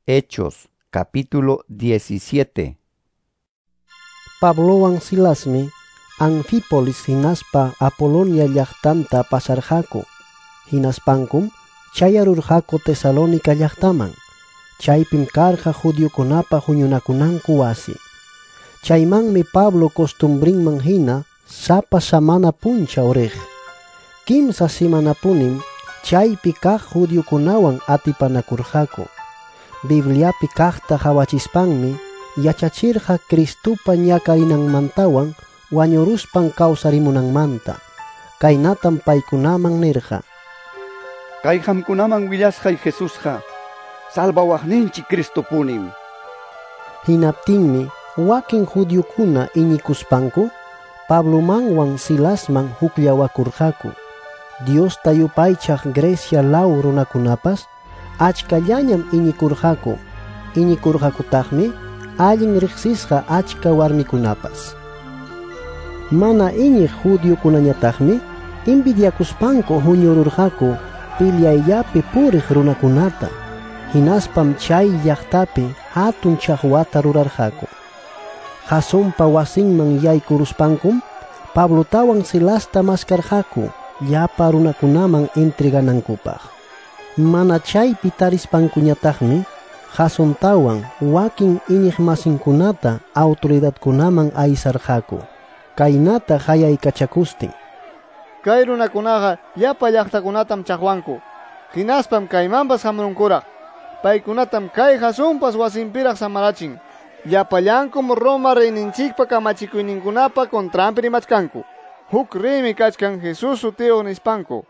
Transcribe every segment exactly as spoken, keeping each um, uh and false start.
Hechos capítulo diecisiete. Pablowan Silasmi Anfípolis hinaspa Apolonia llaqtanta pasarqaku. Hinaspankum chayarurqaku Tesalónica llaqtaman. Chaypim karqa judiokunapa huñunakunanku wasi. Chaymanmi Pablo costumbrinman hina sapa samana punchaw riq. Kimsa simanapunim chaypi kaq judiokunawan atipanakurqaku. Bibliapi kaqta qawachispanmi yachachirqa Cristopa ñakarinanmantawan wañuruspan kawsarimunanmanta. Kaynatam paykunaman nirqa: Kay qamkunaman willasqay Jesusqa salvawaqninchik Cristopunim. Hinaptinmi wakin judiokuna iñikuspanku Pablomanwan Silasman hukllawakurqaku. Diosta yupaychaq Grecia law runakunapas achkallañam iñikurqaku. Iñikurqakutaqmi allin riqsisqa achka warmikunapas. Mana iñiq judiokunañataqmi envidiakuspanku huñururqaku pilyayllapi puriq runakunata. Hinaspam chay llaqtapi hatun chaqwata rurarqaku. Jasonpa wasinman yaykuruspankum Pablotawan Silasta maskarqaku llapa runakunaman entreganankupaq. Mana chaypi tarispankuñataqmi Jasontawan wakin iñiqmasinkunata autoridadkunaman aysarqaku. Kaynata hayaykachakustin: Kay runakunaqa llapa llaqtakunatam chaqwanku. Hinaspam kaymanpas hamurunkuraq. Paykunatam kay Jasonpas wasinpiraq samarachin. Llapallankum Roma reyninchikpa kamachikuyninkunapa contranpi rimachkanku. Huk reymi kachkan Jesús sutiyuq nispanku.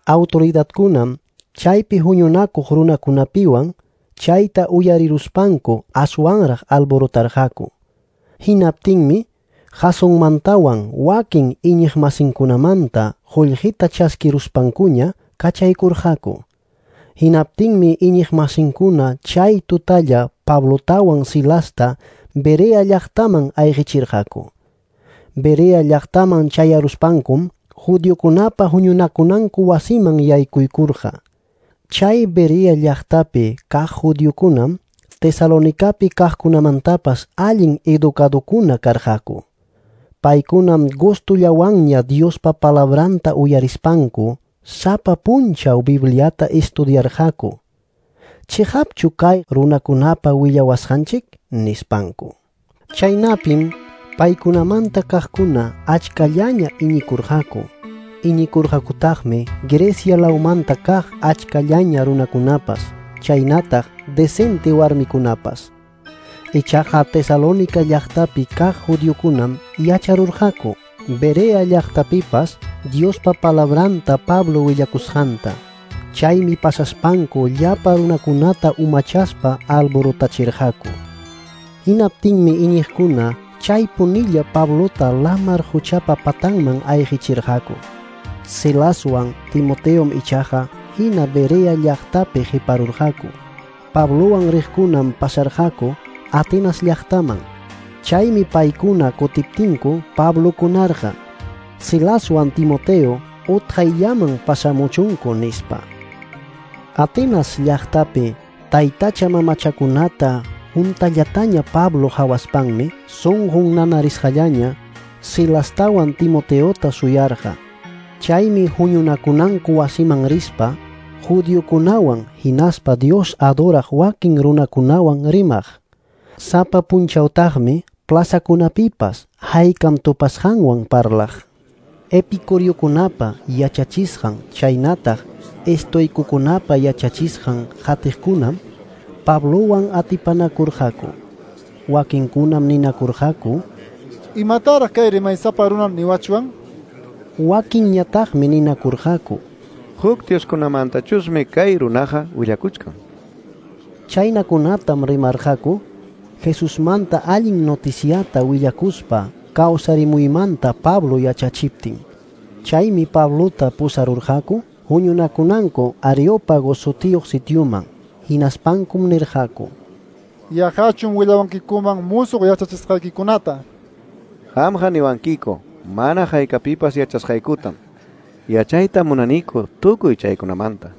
Autoridadkunam chaypi huñunakuq runakunapiwan chayta uyariruspanku aswanraq alborotarqaku. Hinaptinmi Jasonmantawan wakin iñiqmasinkunamanta qullqita chaskiruspankuña kachaykurqaku. Hinaptinmi iñiqmasinkuna chay tutalla Pablotawan Silasta Berea llaqtaman ayqichirqaku. Berea llaqtaman chayaruspankum judiokunapa huñunakunanku wasiman yaykuykurqa. Chay Berea llaqtapi kaq judiokunam Tesalonicapi kaqkunamantapas allin educadokuna karqaku. Paykunam gustullawanña Diospa palabranta uyarispanku sapa punchaw Bibliata estudiarqaku. Chiqapchu kay runakunapa willawasqanchik nispanku. Chaynapim paykunamanta kaqkuna achkallaña iñikurqaku. Iñikurqakutaqmi Grecia lawmanta kaq achkallaña runakunapas, chaynataq decente warmikunapas. Ichaqa Tesalónica llaqtapi kaq judiokunam yacharurqaku Berea llaqtapipas Diospa palabranta Pablo willakusqanta. Chaymi pasaspanku llapa runakunata umachaspa alborotachirqaku. Hinaptinmi iñiqkuna chaypunilla Pablota lamar huchapa patanman ayqichirqaku. Silaswan Timoteom ichaqa hina Berea llaqtapi qiparurqaku. Pablowan riqkunam pasarqaku Atenas llaqtaman. Chaymi paykuna kutiptinku Pablo kunarqa: Silaswan Timoteo utqayllaman pasamuchunku nispa. Atenas llaqtapi taytacha mamachakunata juntallataña Pablo hawaspanmi sunqun nanarisqallaña Silastawan Timoteota suyarqa. Chaymi huñunakunanku wasiman rispa judiokunawan hinaspa Dios adoraq wakin runakunawan rimaq. Sapa punchawtaqmi plazakunapipas haykam tupasqanwan parlaq. Epicuriokunapa yachachisqan chaynataq estoicokunapa yachachisqan qatiqkunam Pablowan atipanakurqaku. Wakinkunam ninakurqaku: Imataraq kay rimaysapa runa niwachwan? Wakinñataqmi ninakurqaku: Huk dioskunamantachusmi kay runaqa willakuchkan. Chaynakunatam rimarqaku Jesusmanta allin noticiata willakuspa kawsarimuymanta Pablo yachachiptin. Chaymi Pablota pusarurqaku huñunakunanku Areópago sutiyuq sitioman. Hinaspankum nirqaku: Yaqachum willawankikuman musuq yachachisqaykikunata. Qamqa niwankiku mana haykapipas yachasqaykutam. Yachayta munaniku tukuy chaykunamanta.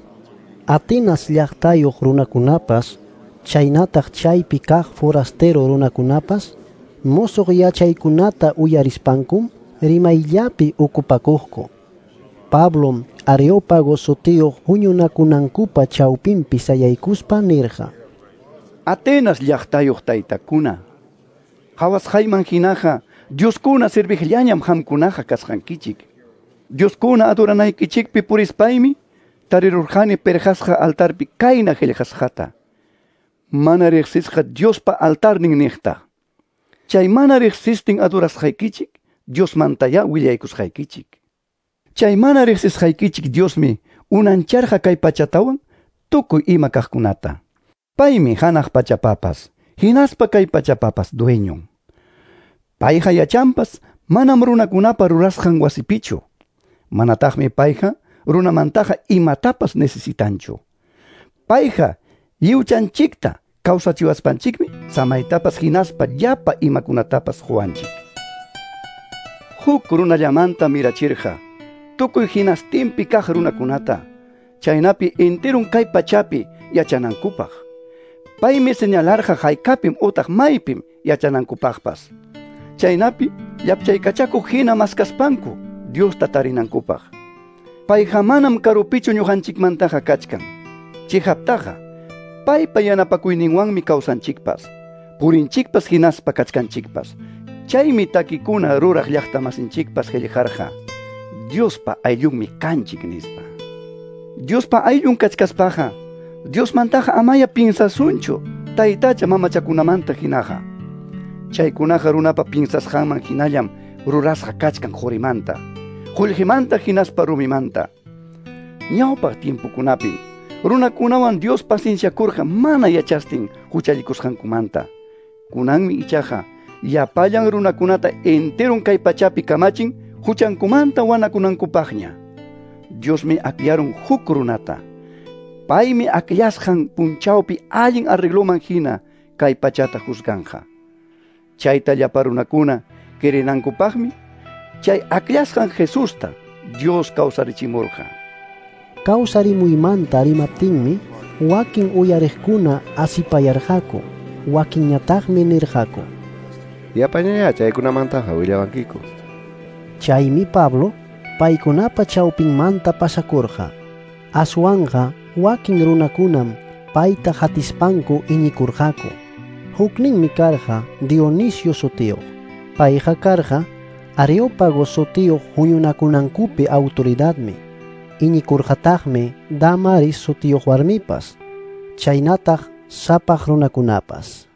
Atenas llaqtayuq runakunapas Chaynataq chaypi kaq forastero runakunapas musuq yachaykunata uyarispankum rimayllapi ucupakuqku. Pablom Areópago sutiyuq huñunakunankupa chawpinpi sayaykuspa nirqa: Atenas llaqtayuq taytakuna, qhawasqayman hinaqa Dioskuna serviqllañam qamkunaqa kasqankichik. Dioskuna adoranaykichikpi purispaymi tarirurqani perqasqa altarpi kayna qillqasqata: Mana riqsisqa Diospa altarnin niqta. Chay mana riqsistin adorasqaykichik Diosmantaya willaykusqaykichik. Chay mana riqsisqaykichik Diosmi unancharqa kay pachatawan tukuy ima kaqkunata. Paymi hanaq pachapapas, hinaspa kay pachapapas dueñon. Payqa yachanpas manam runakunapa rurasqan wasipichu. Manataqmi payqa runamantaqa imatapas necesitanchu. Payqa lliwchanchikta kawsachiwaspanchikmi samaytapas hinaspa llapa imakunatapas quwanchik. Huk runallamanta mirachirqa tukuy hinastinpi kaq runakunata, chaynapi enterun kay pachapi yachanankupaq. Paymi señalarqa haykapim utaq maypim yachanankupaqpas. Chaynapi llapchaykachakuq hina maskaspanku Diosta tarinankupaq. Payqa manam karupichu ñuqanchikmantaqa kachkan. Chihaptaqa paypa yanapakuyninwanmi kawsanchikpas, purinchikpas hinaspa kachkanchikpas. Chaymi takikuna ruraq llaqtamasinchikpas qillqarqa: Diospa ayllunmi kanchik nispa. Diospa ayllun kachkaspaqa Diosmantaqa amaya pinsasunchu taytacha mamachakunamanta hinaqa. Chaykunaqa runapa pinsasqanman hinallam rurasqa kachkan qurimanta, qullqimanta hinaspa rumimanta. Ñawpaq tiempokunapim runakunawan Dios pacienciakurqa mana yachastin huchallikusqankumanta. Kunanmi ichaqa llapallan runakunata enteron kay pachapi kamachin huchankumanta wanakunankupaqña. Diosmi akllarun huk runata. Paymi akllasqan punchawpi allin arregloman hina kay pachata juzganqa. Chayta llapa runakuna querinankupaqmi chay akllasqan Jesusta Dios kawsarichimurqa. Kawsarimuymanta rimaptinmi wakin uyariqkuna asipayarqaku, wakinñataqmi nirqaku: Yapañayá chaykunamantaqa willawankiku. Chaymi Pablo paykunapa chawpinmanta pasakurqa. Aswanqa wakin runakunam payta hatispanku iñikurqaku. Hukninmi karqa Dionisio sutiyuq. Payqa karqa Areópago sutiyuq huñunakunankupi autoridadmi. Iñikurqataqmi Damaris sutiyuq warmipas, chaynataq sapaq runakunapas.